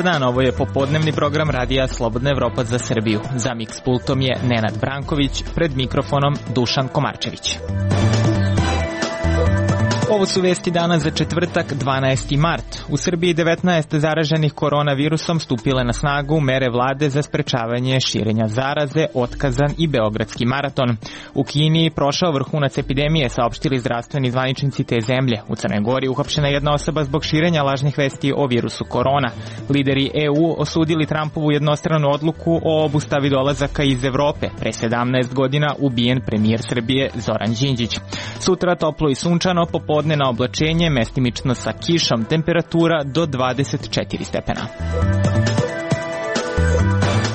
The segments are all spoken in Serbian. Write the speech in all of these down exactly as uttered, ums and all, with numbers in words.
Dobar dan, ovo je popodnevni program radija Slobodna Evropa za Srbiju. Za Mix pultom je Nenad Branković, pred mikrofonom Dušan Komarčević. Ovo su vesti dana za četvrtak, dvanaesti mart. U Srbiji devetnaest zaraženih koronavirusom stupile na snagu mere vlade za sprečavanje širenja zaraze, otkazan i Beogradski maraton. U Kini prošao vrhunac epidemije, saopštili zdravstveni zvaničnici te zemlje. U Crnoj Gori uhapšena jedna osoba zbog širenja lažnih vesti o virusu korona. Lideri E U osudili Trumpovu jednostranu odluku o obustavi dolazaka iz Evrope. Pre sedamnaest godina ubijen premijer Srbije Zoran Đinđić. Sutra toplo i sunčano, popodne na oblačenje, mestimično sa kišom, temperatura do dvadeset četiri stepena.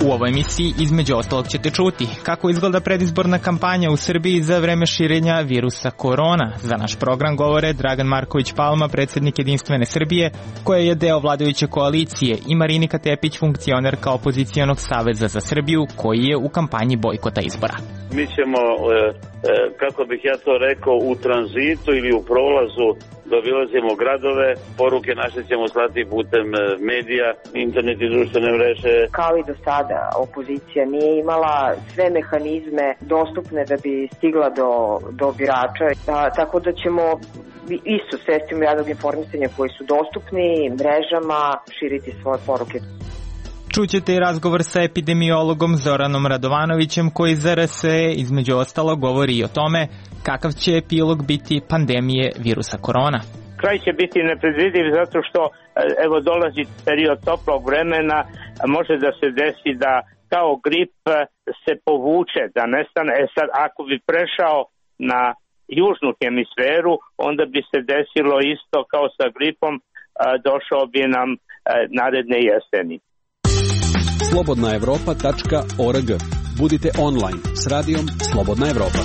U ovoj emisiji između ostalog ćete čuti kako izgleda predizborna kampanja u Srbiji za vreme širenja virusa korona. Za naš program govore Dragan Marković Palma, predsjednik Jedinstvene Srbije, koja je deo vladajuće koalicije, i Marinika Tepić, funkcionerka Opozicijonog saveza za Srbiju, koji je u kampanji bojkota izbora. Mi ćemo, kako bih ja to rekao, u tranzitu ili u prolazu dobilazimo gradove, poruke naše ćemo slati putem medija, internet i društvene mreže. Kao i do sada, opozicija nije imala sve mehanizme dostupne da bi stigla do, do birača, a, tako da ćemo isto sredstvima javnog informisanja koji su dostupni mrežama širiti svoje poruke. Čućete i razgovor sa epidemiologom Zoranom Radovanovićem, koji za R S E između ostalo govori i o tome kakav će epilog biti pandemije virusa korona. Kraj će biti nepredvidiv zato što evo dolazi period toplog vremena, može da se desi da kao grip se povuče, da nestane. E sad, ako bi prešao na južnu hemisferu, onda bi se desilo isto kao sa gripom, došao bi nam naredne jeseni. slobodna evropa tačka org. Budite online s radijom Slobodna Evropa.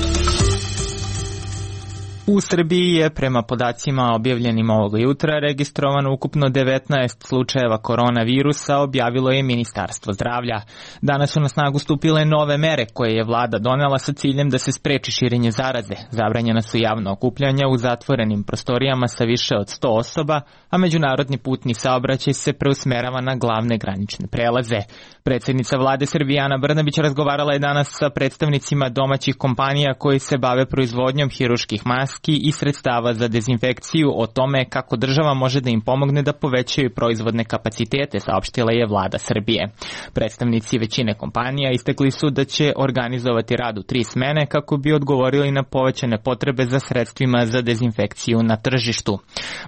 U Srbiji je prema podacima objavljenim ovog jutra registrovano ukupno devetnaest slučajeva koronavirusa, objavilo je Ministarstvo zdravlja. Danas su na snagu stupile nove mere koje je vlada donela sa ciljem da se spreči širenje zaraze. Zabranjena su javna okupljanja u zatvorenim prostorijama sa više od sto osoba, a međunarodni putni saobraćaj se preusmerava na glavne granične prelaze. Predsjednica vlade Srbije Ana Brnabić razgovarala je danas sa predstavnicima domaćih kompanija koji se bave proizvodnjom hirurških maski i sredstava za dezinfekciju o tome kako država može da im pomogne da povećaju proizvodne kapacitete, saopštila je vlada Srbije. Predstavnici većine kompanija istakli su da će organizovati rad u tri smene kako bi odgovorili na povećane potrebe za sredstvima za dezinfekciju na tržištu.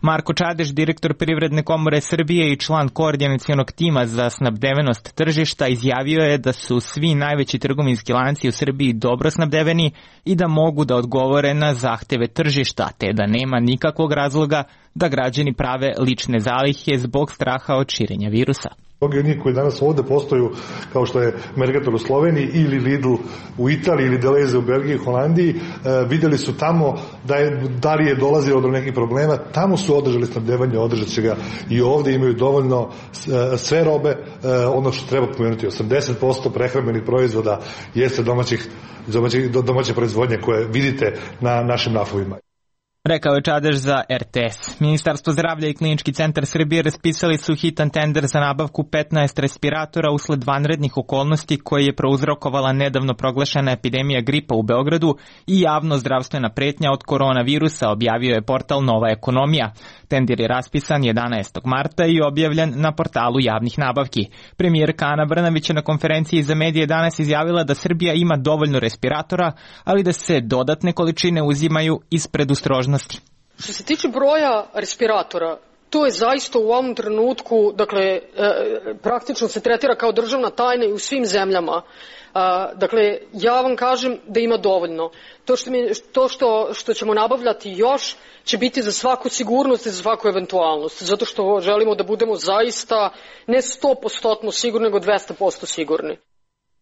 Marko Čadež, direktor Privredne komore Srbije i član koordinacionog tima za snabdevenost tržišta, izjavio je da su svi najveći trgovinski lanci u Srbiji dobro snabdeveni i da mogu da odgovore na zahteve tržišta, te da nema nikakvog razloga da građani prave lične zalihe zbog straha od širenja virusa. Mnogi od njih koji danas ovde postoju, kao što je Mercator u Sloveniji ili Lidl u Italiji ili Deleuze u Belgiji i Holandiji, e, vidjeli su tamo da je, da li je dolazilo do nekih problema, tamo su održali snabdevanje, održat će ga i ovde, imaju dovoljno e, sve robe, e, ono što treba pomenuti, osamdeset posto prehrambenih proizvoda jeste domaćih, domaćih, domaće proizvodnje koje vidite na našim rafovima. Rekao je Čadež za R T S. Ministarstvo zdravlja i Klinički centar Srbije raspisali su hitan tender za nabavku petnaest respiratora usled vanrednih okolnosti koje je prouzrokovala nedavno proglašena epidemija gripa u Beogradu i javno zdravstvena pretnja od koronavirusa, objavio je portal Nova ekonomija. Tender je raspisan jedanaestog marta i objavljen na portalu javnih nabavki. Premijerka Ana Brnabić na konferenciji za medije danas izjavila da Srbija ima dovoljno respiratora, ali da se dodatne količine uzimaju iz predostrožnosti. Što se tiče broja respiratora, to je zaista u ovom trenutku, dakle, e, praktično se tretira kao državna tajna i u svim zemljama. E, dakle, ja vam kažem da ima dovoljno. To, što, mi, to što, što ćemo nabavljati još će biti za svaku sigurnost i za svaku eventualnost, zato što želimo da budemo zaista ne sto posto sigurni, nego dvesta posto sigurni.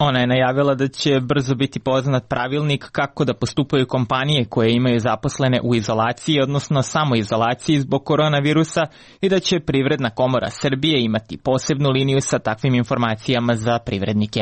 Ona je najavila da će brzo biti poznat pravilnik kako da postupaju kompanije koje imaju zaposlene u izolaciji, odnosno samoizolaciji zbog koronavirusa, i da će Privredna komora Srbije imati posebnu liniju sa takvim informacijama za privrednike.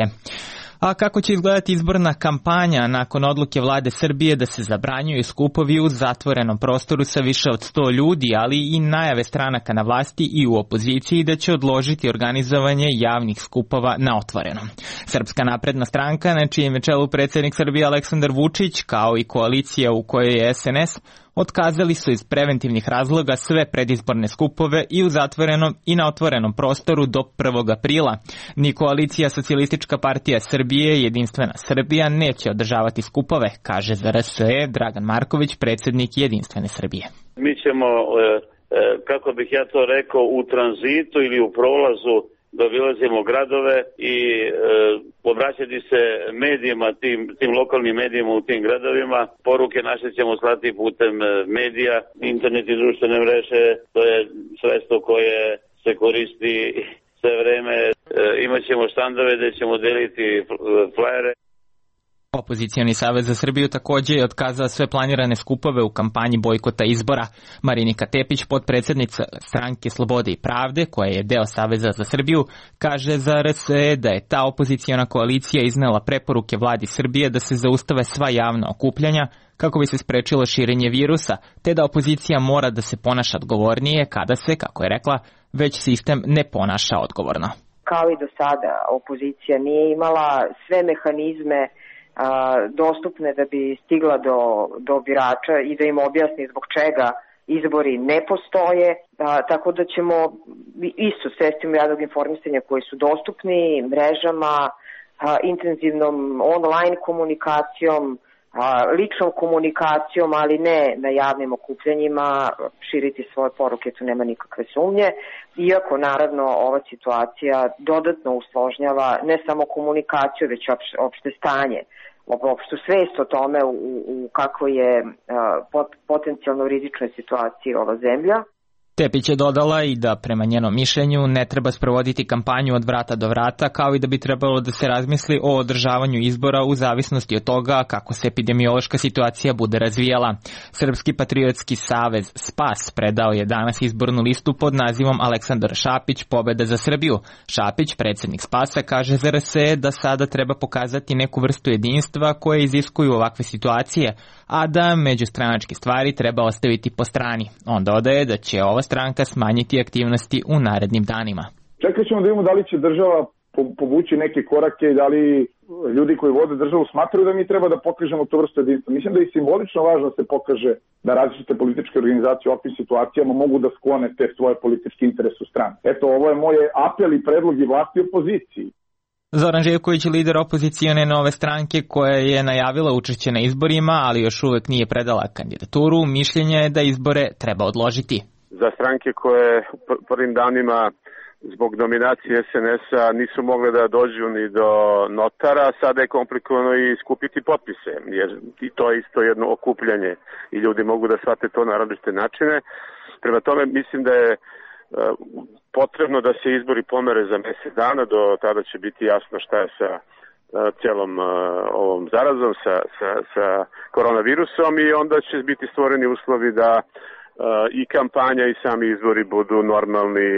A kako će izgledati izborna kampanja nakon odluke vlade Srbije da se zabranjuju skupovi u zatvorenom prostoru sa više od sto ljudi, ali i najave stranaka na vlasti i u opoziciji da će odložiti organizovanje javnih skupova na otvorenom. Srpska napredna stranka, na čijem je čelu predsjednik Srbije Aleksandar Vučić, kao i koalicija u kojoj je es en es, otkazali su iz preventivnih razloga sve predizborne skupove i u zatvorenom i na otvorenom prostoru do prvog aprila. Ni koalicija Socijalistička partija Srbije i Jedinstvena Srbija neće održavati skupove, kaže za er es e Dragan Marković, predsjednik Jedinstvene Srbije. Mi ćemo, kako bih ja to rekao, u tranzitu ili u prolazu da obilazimo gradove i e, obraćati se medijima, tim, tim lokalnim medijima u tim gradovima. Poruke naše ćemo slati putem medija, internet i društvene mreže, to je sredstvo koje se koristi sve vreme. E, imaćemo štandove gde ćemo deliti flajere. Opozicioni savez za Srbiju također je otkazao sve planirane skupove u kampanji bojkota izbora. Marinika Tepić, potpredsjednica stranke Slobode i pravde, koja je deo Saveza za Srbiju, kaže za er es e da je ta opoziciona koalicija iznela preporuke vladi Srbije da se zaustave sva javna okupljanja kako bi se sprečilo širenje virusa, te da opozicija mora da se ponaša odgovornije kada se, kako je rekla, već sistem ne ponaša odgovorno. Kao i do sada, opozicija nije imala sve mehanizme dostupne da bi stigla do, do birača i da im objasni zbog čega izbori ne postoje, a, tako da ćemo isto sredstvima javnog informisanja koji su dostupni, mrežama, a, intenzivnom online komunikacijom, a, ličnom komunikacijom, ali ne na javnim okupljanjima, širiti svoje poruke, tu nema nikakve sumnje, iako naravno ova situacija dodatno usložnjava ne samo komunikaciju, već opšte, opšte stanje, opštu svest o tome u, u kako je uh, pot, potencijalno rizičnoj situaciji ova zemlja. Tepić je dodala i da prema njenom mišljenju ne treba sprovoditi kampanju od vrata do vrata, kao i da bi trebalo da se razmisli o održavanju izbora u zavisnosti od toga kako se epidemiološka situacija bude razvijala. Srpski patriotski savez Spas predao je danas izbornu listu pod nazivom Aleksandar Šapić, pobeda za Srbiju. Šapić, predsjednik Spasa, kaže za er es e da sada treba pokazati neku vrstu jedinstva koje iziskuju ovakve situacije, a da međustranačke stvari treba ostaviti po strani. On dodaje da će ova stranka smanjiti aktivnosti u narednim danima. Čekat ćemo da vidimo da li će država povući neke korake i da li ljudi koji vode državu smatraju da mi treba da pokažemo to vrstu jedinstva. Mislim da je simbolično važno da se pokaže da različite političke organizacije u ovakvim situacijama mogu da sklone te svoje političke interese u stranu. Eto, ovo je moj apel i predlog i vlasti i opoziciji. Zoran Živković, lider opozicione Nove stranke koja je najavila učešće na izborima, ali još uvek nije predala kandidaturu, mišljenje je da izbore treba odložiti. Za stranke koje prvim danima zbog dominacije es en es-a nisu mogle da dođu ni do notara, sada je komplikovano i skupiti potpise, jer i to je isto jedno okupljanje i ljudi mogu da shvate to na različite načine. Prema tome mislim da je potrebno da se izbori pomere za mjesec dana, do tada će biti jasno šta je sa cijelom ovom zarazom, sa, sa, sa koronavirusom i onda će biti stvoreni uslovi da i kampanja i sami izbori budu normalni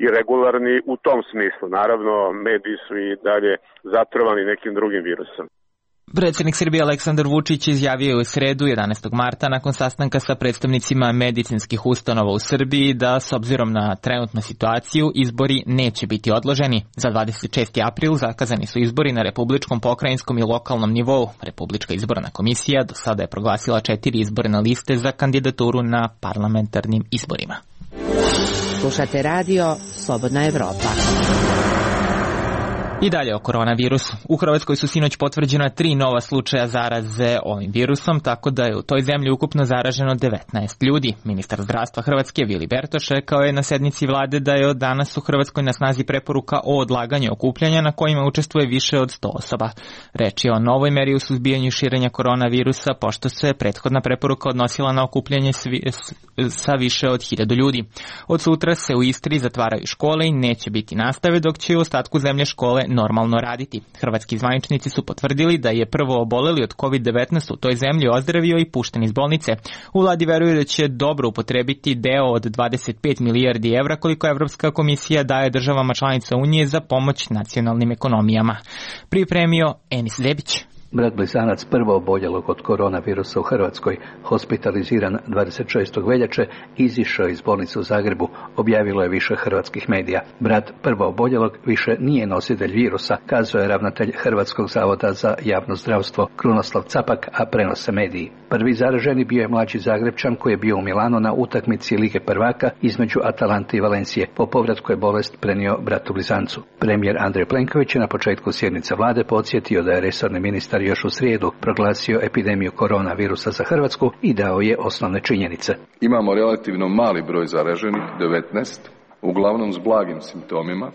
i regularni u tom smislu. Naravno, mediji su i dalje zatrovani nekim drugim virusom. Predsjednik Srbije Aleksandar Vučić izjavio u sredu jedanaestog marta nakon sastanka sa predstavnicima medicinskih ustanova u Srbiji da s obzirom na trenutnu situaciju izbori neće biti odloženi. Za dvadeset šesti april zakazani su izbori na republičkom, pokrajinskom i lokalnom nivou. Republička izborna komisija do sada je proglasila četiri izborne liste za kandidaturu na parlamentarnim izborima. Slušate radio Slobodna Evropa. I dalje o koronavirusu. U Hrvatskoj su sinoć potvrđena tri nova slučaja zaraze ovim virusom, tako da je u toj zemlji ukupno zaraženo devetnaest ljudi. Ministar zdravstva Hrvatske Vili Bertoš rekao je na sednici vlade da je od danas u Hrvatskoj na snazi preporuka o odlaganju okupljanja na kojima učestvuje više od sto osoba. Reč je o novoj meri u suzbijanju širenja koronavirusa, pošto se prethodna preporuka odnosila na okupljanje svi, sa više od hiljadu ljudi. Od sutra se u Istri zatvaraju škole i neće biti nastave, dok će u ostatku zemlje škole normalno raditi. Hrvatski zvaničnici su potvrdili da je prvo oboleli od kovid devetnaest u toj zemlji ozdravio i pušten iz bolnice. U vladi veruju da će dobro upotrebiti deo od dvadeset pet milijardi evra koliko Evropska komisija daje državama članica Unije za pomoć nacionalnim ekonomijama. Pripremio Enis Zebić. Brat blizanac prvo oboljelog od koronavirusa u Hrvatskoj, hospitaliziran dvadeset šestog veljače, izišao iz bolnice u Zagrebu, objavilo je više hrvatskih medija. Brat prvo oboljelog više nije nositelj virusa, kazao je ravnatelj Hrvatskog zavoda za javno zdravstvo Krunoslav Capak, a prenose mediji. Prvi zaraženi bio je mlađi Zagrebčan koji je bio u Milanu na utakmici Lige prvaka između Atalante i Valencije. Po povratku je bolest prenio bratu blizancu. Premijer Andrej Plenković je na početku sjednice vlade podsjetio da je resorni ministar još u srijedu proglasio epidemiju koronavirusa za Hrvatsku i dao je osnovne činjenice. Imamo relativno mali broj zaraženih, devetnaest, uglavnom s blagim simptomima.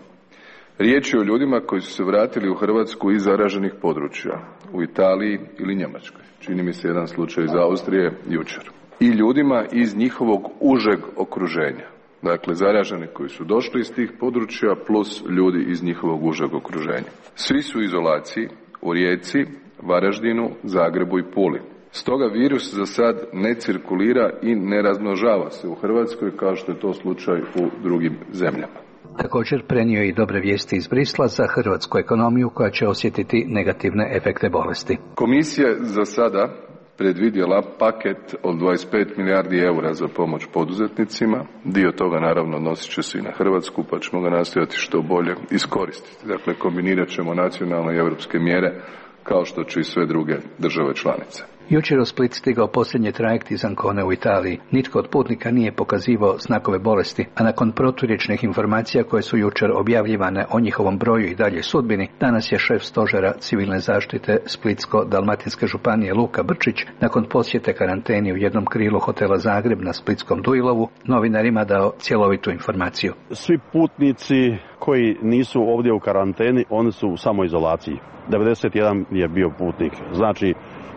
Riječ je o ljudima koji su se vratili u Hrvatsku iz zaraženih područja, u Italiji ili Njemačkoj. Čini mi se jedan slučaj iz Austrije jučer. I ljudima iz njihovog užeg okruženja. Dakle, zaraženi koji su došli iz tih područja plus ljudi iz njihovog užeg okruženja. Svi su u izolaciji u Rijeci, Varaždinu, Zagrebu i Puli. Stoga virus za sad ne cirkulira i ne razmnožava se u Hrvatskoj kao što je to slučaj u drugim zemljama. Također prenio i dobre vijesti iz Brisla za hrvatsku ekonomiju koja će osjetiti negativne efekte bolesti. Komisija za sada predvidjela paket od dvadeset pet milijardi eura za pomoć poduzetnicima. Dio toga naravno nosit će se i na Hrvatsku, pa ćemo ga nastojati što bolje iskoristiti. Dakle, kombinirat ćemo nacionalne i europske mjere kao što će i sve druge države članice. Jučer u Split stigao posljednji trajekt iz Ancone u Italiji. Nitko od putnika nije pokazivao znakove bolesti, a nakon proturječnih informacija koje su jučer objavljivane o njihovom broju i dalje sudbini, danas je šef stožera civilne zaštite Splitsko-dalmatinske županije Luka Brčić, nakon posjete karanteni u jednom krilu hotela Zagreb na Splitskom Duilovu, novinarima dao cjelovitu informaciju. Svi putnici koji nisu ovdje u karanteni, oni su u samoizolaciji. devedeset jedan je bio putnik, znači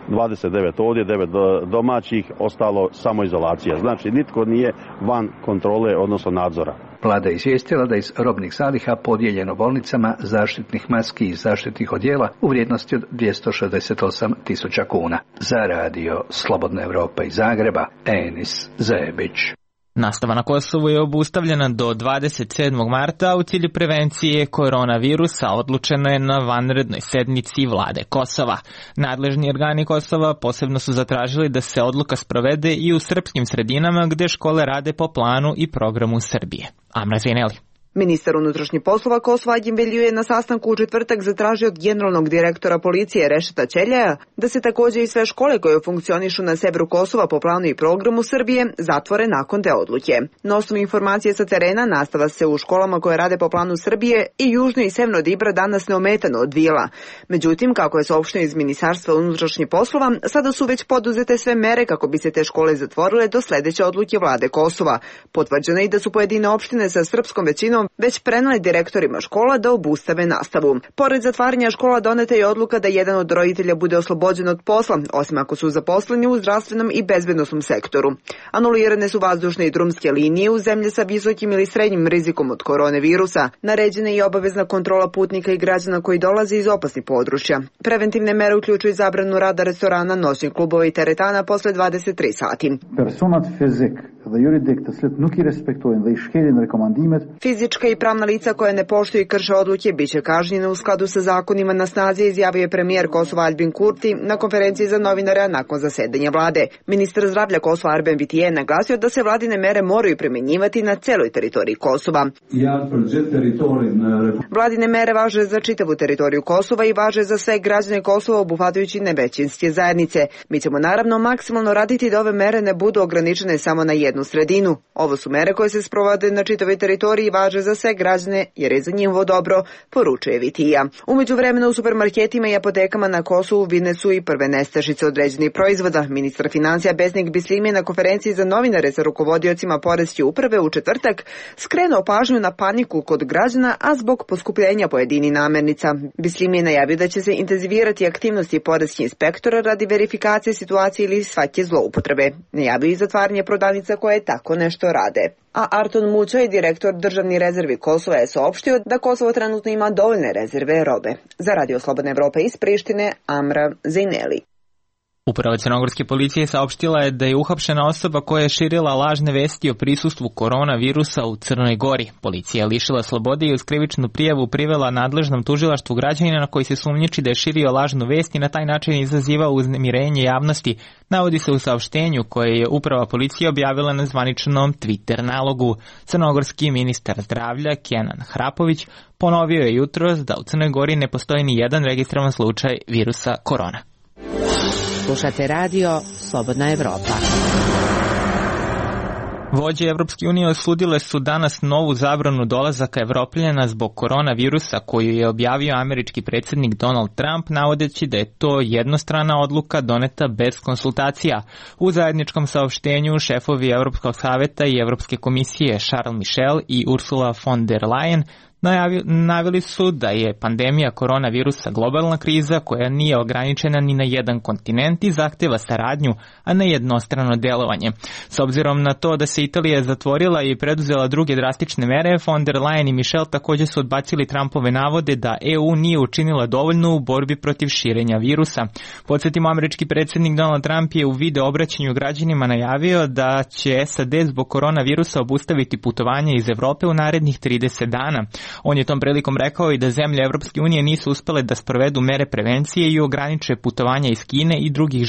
dvadeset devet ovdje, devet domaćih, ostalo samoizolacija. Znači nitko nije van kontrole, odnosno nadzora. Vlada je izvijestila da iz robnih zaliha podijeljeno bolnicama zaštitnih maski i zaštitnih odjela u vrijednosti od dvjesto šezdeset osam tisuća kuna. Za radio Slobodna Evropa iz Zagreba, Enis Zebić. Nastava na Kosovu je obustavljena do dvadeset sedmog marta, a u cilju prevencije koronavirusa odlučeno je na vanrednoj sednici vlade Kosova. Nadležni organi Kosova posebno su zatražili da se odluka sprovede i u srpskim sredinama gde škole rade po planu i programu Srbije. Amra Zineli. Ministar unutrašnjih poslova Kosova Agim Velju je na sastanku u četvrtak zatražio od generalnog direktora policije Rešeta Ćeljaja da se također i sve škole koje funkcionišu na severu Kosova po planu i programu Srbije zatvore nakon te odluke. Na osnovu informacije sa terena, nastava se u školama koje rade po planu Srbije i južno i severno od Ibra danas neometano odvijela. Međutim, kako je saopšteno iz Ministarstva unutrašnjih poslova, sada su već poduzete sve mere kako bi se te škole zatvorile do sledeće odluke vlade Kosova. Potvrđeno je i da su pojedine opštine sa srpskom većinom već preneli direktorima škola da obustave nastavu. Pored zatvaranja škola doneta je odluka da jedan od roditelja bude oslobođen od posla, osim ako su zaposleni u zdravstvenom i bezbednosnom sektoru. Anulirane su vazdušne i drumske linije u zemlje sa visokim ili srednjim rizikom od koronavirusa. Naređena je i obavezna kontrola putnika i građana koji dolaze iz opasnih područja. Preventivne mere uključuju zabranu rada restorana, noćnih klubova i teretana posle dvadeset tri sati. Fizička i pravna lica koje ne poštuju i krše odluke biće kažnjene u skladu sa zakonima na snazi, izjavio je premijer Kosova Albin Kurti na konferenciji za novinare nakon zasedanja vlade. Ministar zdravlja Kosova Arben Vitije je naglasio da se vladine mere moraju primjenjivati na celoj teritoriji Kosova. Vladine mere važe za čitavu teritoriju Kosova i važe za sve građane Kosova obuhvatajući nevećinske zajednice. Mi ćemo naravno maksimalno raditi da ove mere ne budu ograničene samo na jednu sredinu. Ovo su mere koje se sprovode na čitavoj teritoriji i važe za sve građane jer je za njihovo dobro, poručuje Vitija. Umeđu vremena u supermarketima i apotekama na Kosovu vidne su i prve nestašice određenih proizvoda. Ministar financija Besnik Bisljim je na konferenciji za novinare sa rukovodiocima poreske uprave u četvrtak skrenuo pažnju na paniku kod građana, a zbog poskupljenja pojedini namirnica. Bisljim je najavio da će se intenzivirati aktivnosti poreskih inspektora radi verifikacije situacije ili svake zloupotrebe. Najavio i zatvaranje prodavnica koje tako nešto rade. A Arton Mućaj, direktor Državni rezervi Kosova je saopštio da Kosovo trenutno ima dovoljne rezerve robe. Za Radio Slobodna Evropa iz Prištine, Amra Zejneli. Uprava crnogorske policije saopštila je da je uhapšena osoba koja je širila lažne vesti o prisustvu koronavirusa u Crnoj Gori. Policija je lišila slobode i uz krivičnu prijavu privela nadležnom tužilaštvu građanina koji se sumnjiči da je širio lažnu vest i na taj način izazivao uznemirenje javnosti, navodi se u saopštenju koje je uprava policije objavila na zvaničnom Twitter nalogu. Crnogorski ministar zdravlja Kenan Hrapović ponovio je jutros da u Crnoj Gori ne postoji ni jedan registrovan slučaj virusa korona. Slušate radio Slobodna Evropa. Vođe Evropske unije osudile su danas novu zabranu dolazaka Evropljana zbog koronavirusa koju je objavio američki predsjednik Donald Trump, navodeći da je to jednostrana odluka doneta bez konsultacija. U zajedničkom saopštenju šefovi Evropskog saveta i Evropske komisije Charles Michel i Ursula von der Leyen naveli su da je pandemija koronavirusa globalna kriza koja nije ograničena ni na jedan kontinent i zahteva saradnju, a ne jednostrano delovanje. S obzirom na to da se Italija zatvorila i preduzela druge drastične mere, von der Leyen i Michel također su odbacili Trumpove navode da E U nije učinila dovoljno u borbi protiv širenja virusa. Podsjetimo, američki predsjednik Donald Trump je u video obraćanju građanima najavio da će S A D zbog koronavirusa obustaviti putovanje iz Evrope u narednih trideset dana. On je tom prilikom rekao i da zemlje Evropske unije nisu uspele da sprovedu mere prevencije i ograniče putovanja iz Kine i drugih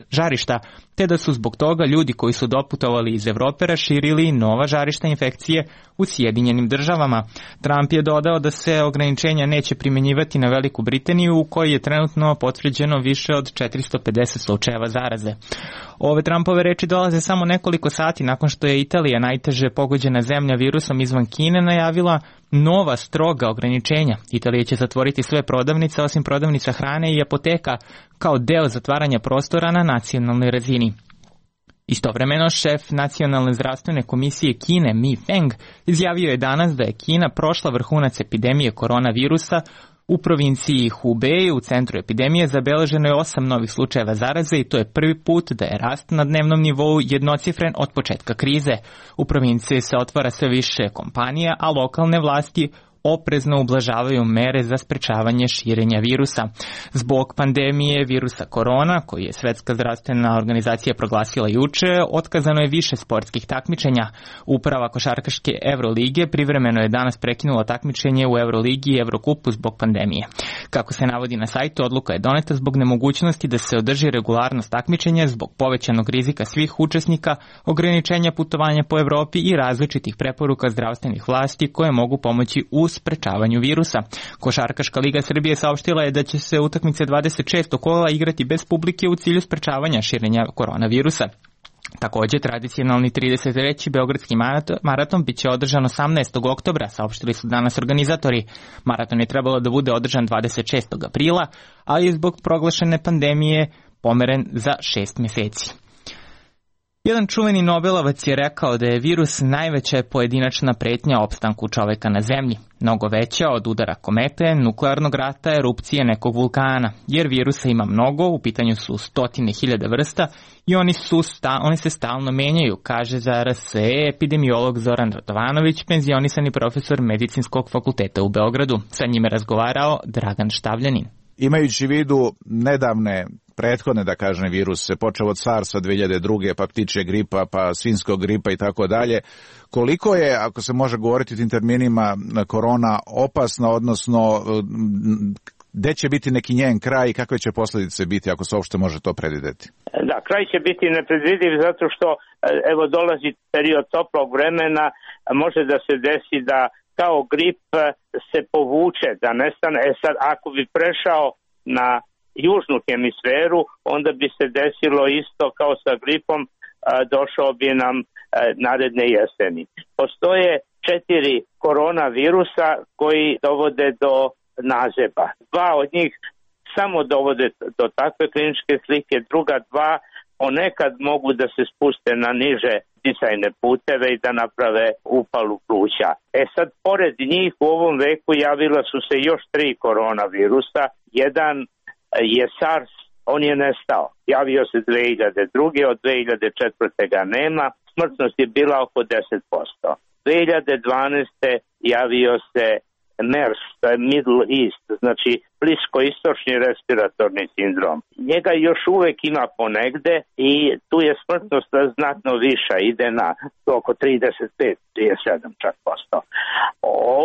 žarišta, te da su zbog toga ljudi koji su doputovali iz Evrope raširili nova žarišta infekcije u Sjedinjenim državama. Trump je dodao da se ograničenja neće primjenjivati na Veliku Britaniju u kojoj je trenutno potvrđeno više od četiristo pedeset slučajeva zaraze. Ove Trumpove reči dolaze samo nekoliko sati nakon što je Italija, najteže pogođena zemlja virusom izvan Kine, najavila nova stroga ograničenja. Italija će zatvoriti sve prodavnice osim prodavnica hrane i apoteka kao deo zatvaranja prostora na nacionalnoj razini. Istovremeno, šef Nacionalne zdravstvene komisije Kine Mi Feng izjavio je danas da je Kina prošla vrhunac epidemije koronavirusa. U provinciji Hubei, u centru epidemije, zabeleženo je osam novih slučajeva zaraze i to je prvi put da je rast na dnevnom nivou jednocifren od početka krize. U provinciji se otvara sve više kompanija, a lokalne vlasti oprezno ublažavaju mere za sprečavanje širenja virusa. Zbog pandemije virusa korona, koji je Svetska zdravstvena organizacija proglasila juče, otkazano je više sportskih takmičenja. Uprava košarkaške Evrolige privremeno je danas prekinula takmičenje u Evroligi i Evrokupu zbog pandemije. Kako se navodi na sajtu, odluka je doneta zbog nemogućnosti da se održi regularnost takmičenja zbog povećanog rizika svih učesnika, ograničenja putovanja po Evropi i različitih preporuka zdravstvenih vlasti koje mogu pomoći u sprečavanju virusa. Košarkaška liga Srbije saopštila je da će se utakmice dvadeset šestog kola igrati bez publike u cilju sprečavanja širenja koronavirusa. Također, tradicionalni trideset treći beogradski maraton bit će održan osamnaestog oktobra, saopštili su danas organizatori. Maraton je trebalo da bude održan dvadeset šestog aprila, ali je zbog proglašene pandemije pomeren za šest mjeseci. Jedan čuveni Nobelovac je rekao da je virus najveća pojedinačna pretnja opstanku čoveka na zemlji, mnogo veća od udara komete, nuklearnog rata, erupcije nekog vulkana, jer virusa ima mnogo, u pitanju su stotine hiljada vrsta i oni, su sta, oni se stalno menjaju, kaže za R S E epidemiolog Zoran Radovanović, penzionisani profesor Medicinskog fakulteta u Beogradu. Sa njime razgovarao Dragan Štavljanin. Imajući vidu nedavne prethodne, da kažem, viruse, počeo od SARS-a dve hiljade druge, pa ptičje gripa, pa svinjskog gripa i tako dalje, koliko je, ako se može govoriti tim terminima, korona opasna, odnosno gde će biti neki njen kraj i kakve će posljedice biti, ako se uopšte može to predvideti? Da, kraj će biti nepredvidiv zato što, evo, dolazi period toplog vremena, može da se desi da kao grip se povuče, da nestane. E sad, ako bi prešao na južnu hemisferu, onda bi se desilo isto kao sa gripom, došao bi nam naredne jeseni. Postoje četiri koronavirusa koji dovode do nazeba. Dva od njih samo dovode do takve kliničke slike, druga dva ponekad mogu da se spuste na niže disajne puteve i da naprave upalu pluća. E sad, pored njih u ovom veku javila su se još tri koronavirusa. Jedan je SARS, on je nestao. Javio se dve hiljade druge, od dve hiljade četvrte ga nema. Smrtnost je bila oko deset posto. dve hiljade dvanaeste. javio se MERS, to je Middle East, znači bliskoistočni respiratorni sindrom. Njega još uvek ima ponegde i tu je smrtnost znatno viša, ide na oko trideset pet do trideset sedam čak posto.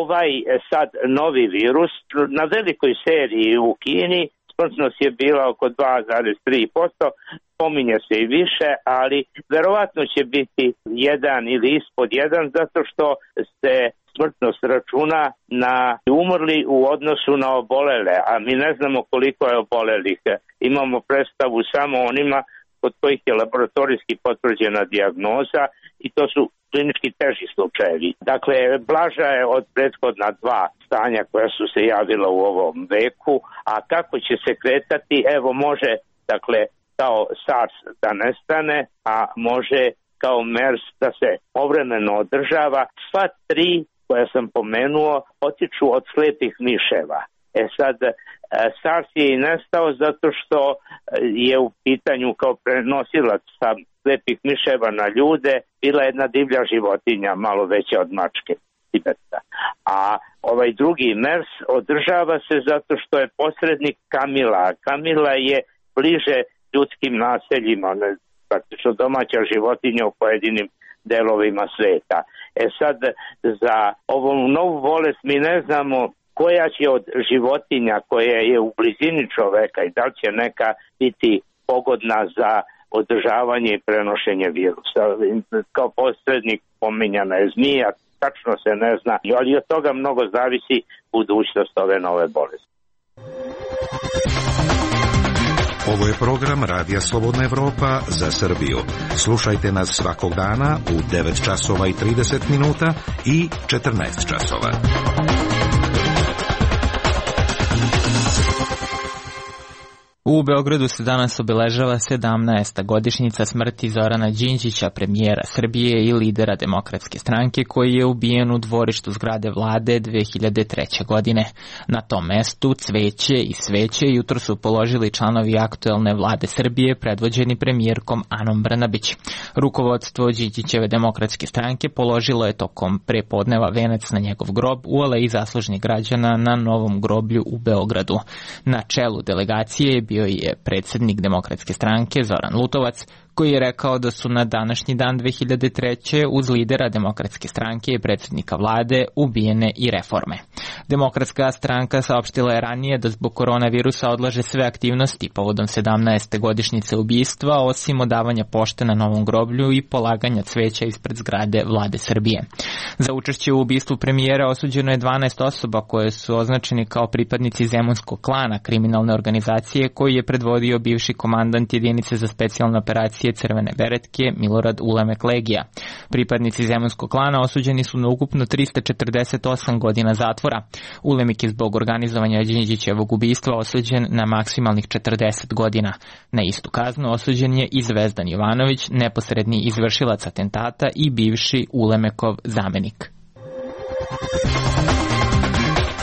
Ovaj sad novi virus na velikoj seriji u Kini smrtnost je bila oko dva zarez tri posto, pominje se i više, ali verovatno će biti jedan ili ispod jedan zato što se smrtnost računa na umrli u odnosu na obolele, a mi ne znamo koliko je obolelih. Imamo predstavu samo onima kod kojih je laboratorijski potvrđena dijagnoza i to su klinički teži slučajevi. Dakle, blaža je od prethodna dva stanja koja su se javila u ovom veku, a kako će se kretati, evo može, dakle, kao SARS da nestane, a može kao MERS da se povremeno održava. Sva tri koja sam pomenuo potiču od slepih miševa. E sad, SARS je i nestao zato što je u pitanju kao prenosilac sa slepih miševa na ljude bila jedna divlja životinja, malo veća od mačke Tibeta. A ovaj drugi MERS održava se zato što je posrednik kamila. Kamila je bliže ljudskim naseljima, praktično domaća životinja u pojedinim delovima sveta. E sad, za ovu novu bolest mi ne znamo koja će od životinja koja je u blizini čoveka i da li će neka biti pogodna za održavanje i prenošenje virusa. Kao posrednik pominjana je zmija, tačno se ne zna, ali od toga mnogo zavisi budućnost ove nove bolesti. Ovo je program Radija Slobodna Evropa za Srbiju. Slušajte nas svakog dana u devet časova i trideset minuta i četrnaest časova. U Beogradu se danas obeležava sedamnaesta godišnjica smrti Zorana Đinđića, premijera Srbije i lidera Demokratske stranke, koji je ubijen u dvorištu zgrade vlade dve hiljade treće. godine. Na tom mestu cveće i sveće jutro su položili članovi aktuelne vlade Srbije predvođeni premijerkom Anom Brnabić. Rukovodstvo Đinđićeve Demokratske stranke položilo je tokom prepodneva venac na njegov grob u aleji zaslužnih građana na Novom groblju u Beogradu. Na čelu delegacije je bio je predsjednik Demokratske stranke Zoran Lutovac, koji je rekao da su na današnji dan dve hiljade treće. uz lidera Demokratske stranke i predsjednika vlade ubijene i reforme. Demokratska stranka saopštila je ranije da zbog koronavirusa odlaže sve aktivnosti povodom sedamnaeste godišnjice ubistva, osim odavanja pošte na Novom groblju i polaganja cveća ispred zgrade vlade Srbije. Za učešće u ubistvu premijera osuđeno je dvanaest osoba koje su označeni kao pripadnici Zemunskog klana, kriminalne organizacije koju je predvodio bivši komandant jedinice za specijalne operacije Crvene beretke Milorad Ulemek Legija. Pripadnici Zemunskog klana osuđeni su na ukupno trista četrdeset osam godina zatvora. Ulemek je zbog organizovanja Đinđićevog ubistva osuđen na maksimalnih četrdeset godina. Na istu kaznu osuđen je i Zvezdan Jovanović, neposredni izvršilac atentata i bivši Ulemekov zamenik.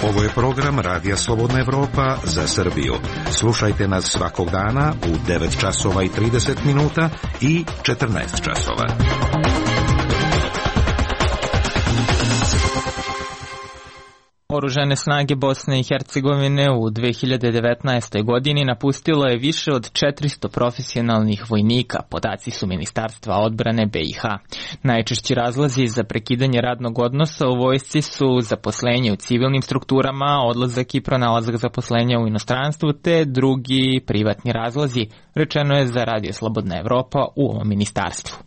Ovo je program Radija Slobodna Evropa za Srbiju. Slušajte nas svakog dana u devet časova i trideset minuta i četrnaest časova. Oružane snage Bosne i Hercegovine u dve hiljade devetnaestoj. godini napustilo je više od četiristo profesionalnih vojnika, podaci su Ministarstva odbrane B i H. Najčešći razlozi za prekidanje radnog odnosa u vojsci su zaposlenje u civilnim strukturama, odlazak i pronalazak zaposlenja u inostranstvu te drugi privatni razlozi, rečeno je za Radio Slobodna Evropa u ovom ministarstvu.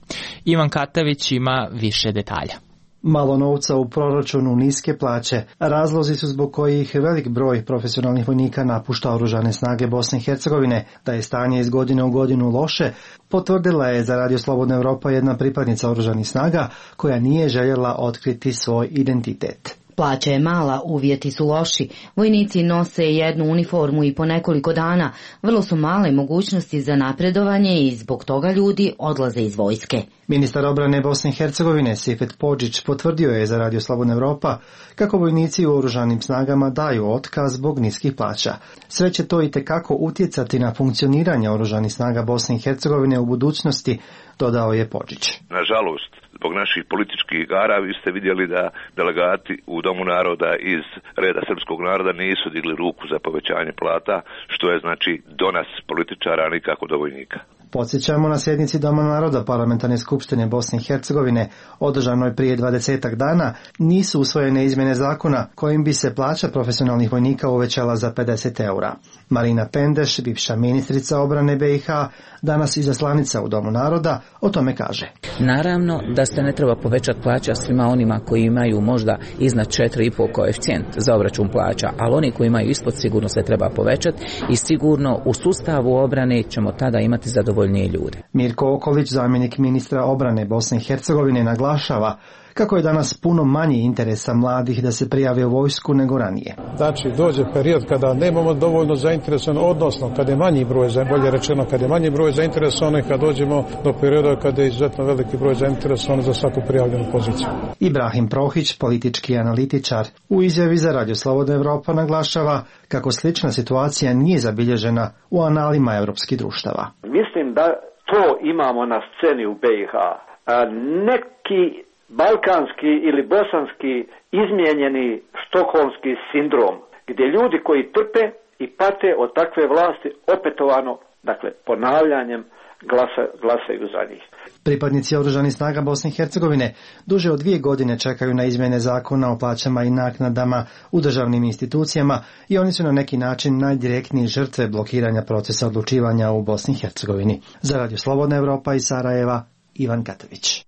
Ivan Katavić ima više detalja. Malo novca u proračunu, niske plaće. Razlozi su zbog kojih velik broj profesionalnih vojnika napušta oružane snage Bosne i Hercegovine. Da je stanje iz godine u godinu loše, potvrdila je za Radio Slobodna Evropa jedna pripadnica oružanih snaga koja nije željela otkriti svoj identitet. Plaća je mala, uvjeti su loši, vojnici nose jednu uniformu i po nekoliko dana, vrlo su male mogućnosti za napredovanje i zbog toga ljudi odlaze iz vojske. Ministar obrane Bosne i Hercegovine Sifet Podžić potvrdio je za Radio Slobodna Evropa kako vojnici u oružanim snagama daju otkaz zbog niskih plaća. Sve će to itekako utjecati na funkcioniranje oružanih snaga Bosne i Hercegovine u budućnosti, dodao je Podžić. Nažalost, zbog naših političkih igara, vi ste vidjeli da delegati u Domu naroda iz reda srpskog naroda nisu digli ruku za povećanje plata, što je znači do nas političara, a nikako do vojnika. Podsjećamo, na sjednici Doma naroda Parlamentarne skupštine Bosne i Hercegovine, održanoj prije dvadesetak dana, nisu usvojene izmjene zakona kojim bi se plaća profesionalnih vojnika uvećala za pedeset eura. Marina Pendeš, bivša ministrica obrane B i H, danas izaslanica u Domu naroda, o tome kaže. Naravno da se ne treba povećati plaća svima onima koji imaju možda iznad četiri i pol koeficijent za obračun plaća, ali oni koji imaju ispod sigurno se treba povećati i sigurno u sustavu obrane ćemo tada imati zadovoljnije ljude. Mirko Okolić, zamjenik ministra obrane Bosne i Hercegovine, naglašava kako je danas puno manji interesa mladih da se prijave u vojsku nego ranije. Znači, dođe period kada nemamo dovoljno zainteresovan, odnosno kada je manji broj, bolje rečeno, kada je manji broj zainteresovanih, kad dođemo do perioda kada je izuzetno veliki broj zainteresovan za svaku prijavljenu poziciju. Ibrahim Prohić, politički analitičar, u izjavi za Radio Slobodna Evropa naglašava kako slična situacija nije zabilježena u analima evropskih društava. Mislim da to imamo na sceni u B i H. A neki balkanski ili bosanski izmijenjeni štokholmski sindrom, gdje ljudi koji trpe i pate od takve vlasti opetovano, dakle ponavljanjem, glasa, glasaju za njih. Pripadnici oružanih snaga Bosne i Hercegovine duže od dvije godine čekaju na izmjene zakona o plaćama i naknadama u državnim institucijama i oni su na neki način najdirektniji žrtve blokiranja procesa odlučivanja u Bosni i Hercegovini. Za Radio Slobodna Evropa iz Sarajeva, Ivan Katović.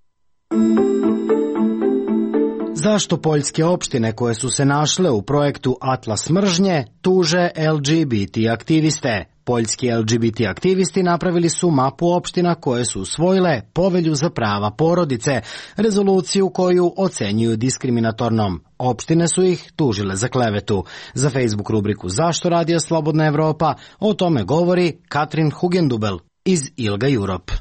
Zašto poljske opštine koje su se našle u projektu Atlas mržnje tuže L G B T aktiviste? Poljski L G B T aktivisti napravili su mapu opština koje su usvojile Povelju za prava porodice, rezoluciju koju ocenjuju diskriminatornom. Opštine su ih tužile za klevetu. Za Facebook rubriku Zašto Radio Slobodna Evropa o tome govori Katrin Hugendubel iz ILGA Europe.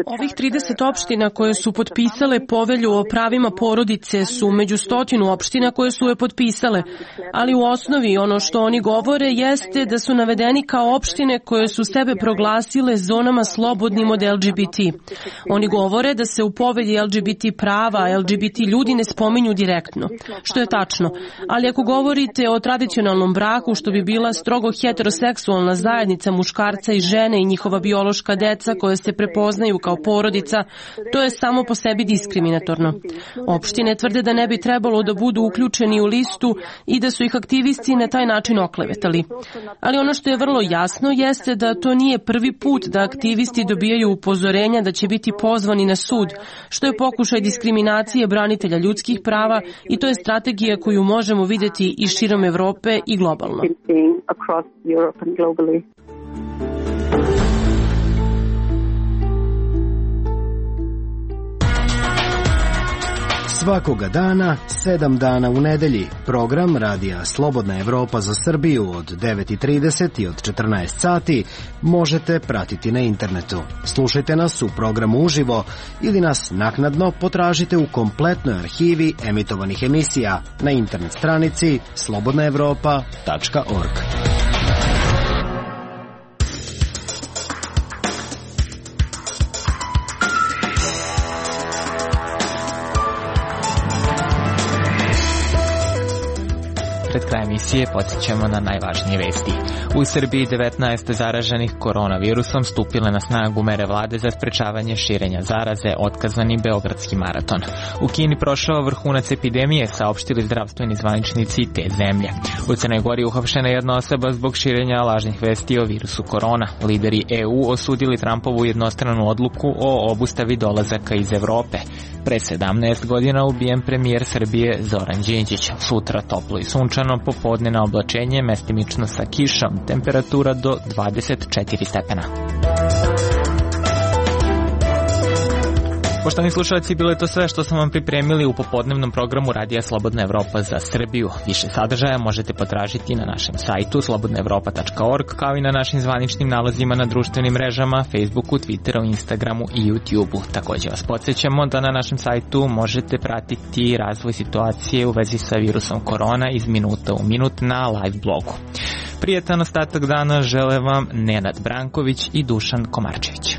Ovih trideset opština koje su potpisale Povelju o pravima porodice su među stotinu opština koje su je potpisale, ali u osnovi ono što oni govore jeste da su navedeni kao opštine koje su sebe proglasile zonama slobodnim od L G B T. Oni govore da se u Povelji L G B T prava L G B T ljudi ne spominju direktno, što je tačno, ali ako govorite o tradicionalnom braku, što bi bila strogo heteroseksualna zajednica muškarca i žene i njihova biološka deca koje se prepoznaju kao porodica, to je samo po sebi diskriminatorno. Opštine tvrde da ne bi trebalo da budu uključeni u listu i da su ih aktivisti na taj način oklevetali. Ali ono što je vrlo jasno jeste da to nije prvi put da aktivisti dobijaju upozorenja da će biti pozvani na sud, što je pokušaj diskriminacije branitelja ljudskih prava i to je strategija koju možemo vidjeti i širom Evrope i globalno. Svakoga dana, sedam dana u nedelji, program Radija Slobodna Evropa za Srbiju od devet i trideset i od četrnaest sati možete pratiti na internetu. Slušajte nas u programu uživo ili nas naknadno potražite u kompletnoj arhivi emitovanih emisija na internet stranici slobodna evropa tačka org. Pred kraj emisije podsjećamo na najvažnije vesti. U Srbiji devetnaest zaraženih koronavirusom stupile na snagu mere vlade za sprečavanje širenja zaraze, otkazani Beogradski maraton. U Kini prošao vrhunac epidemije, saopštili zdravstveni zvaničnici te zemlje. U Crnoj Gori uhapšena jedna osoba zbog širenja lažnih vesti o virusu korona. Lideri E U osudili Trumpovu jednostranu odluku o obustavi dolazaka iz Evrope. Pre sedamnaest godina ubijen premijer Srbije Zoran Đinđić. Sutra toplo i sunčano, popodne oblačenje, mestimično sa kišom, temperatura do dvadeset četiri stepena. Poštovani slušalci, bilo je to sve što smo vam pripremili u popodnevnom programu Radija Slobodna Evropa za Srbiju. Više sadržaja možete potražiti na našem sajtu slobodna evropa tačka org, kao i na našim zvaničnim nalazima na društvenim mrežama, Facebooku, Twitteru, Instagramu i YouTubeu. Također vas podsjećamo da na našem sajtu možete pratiti razvoj situacije u vezi sa virusom korona iz minuta u minut na live blogu. Prijetan ostatak dana žele vam Nenad Branković i Dušan Komarčević.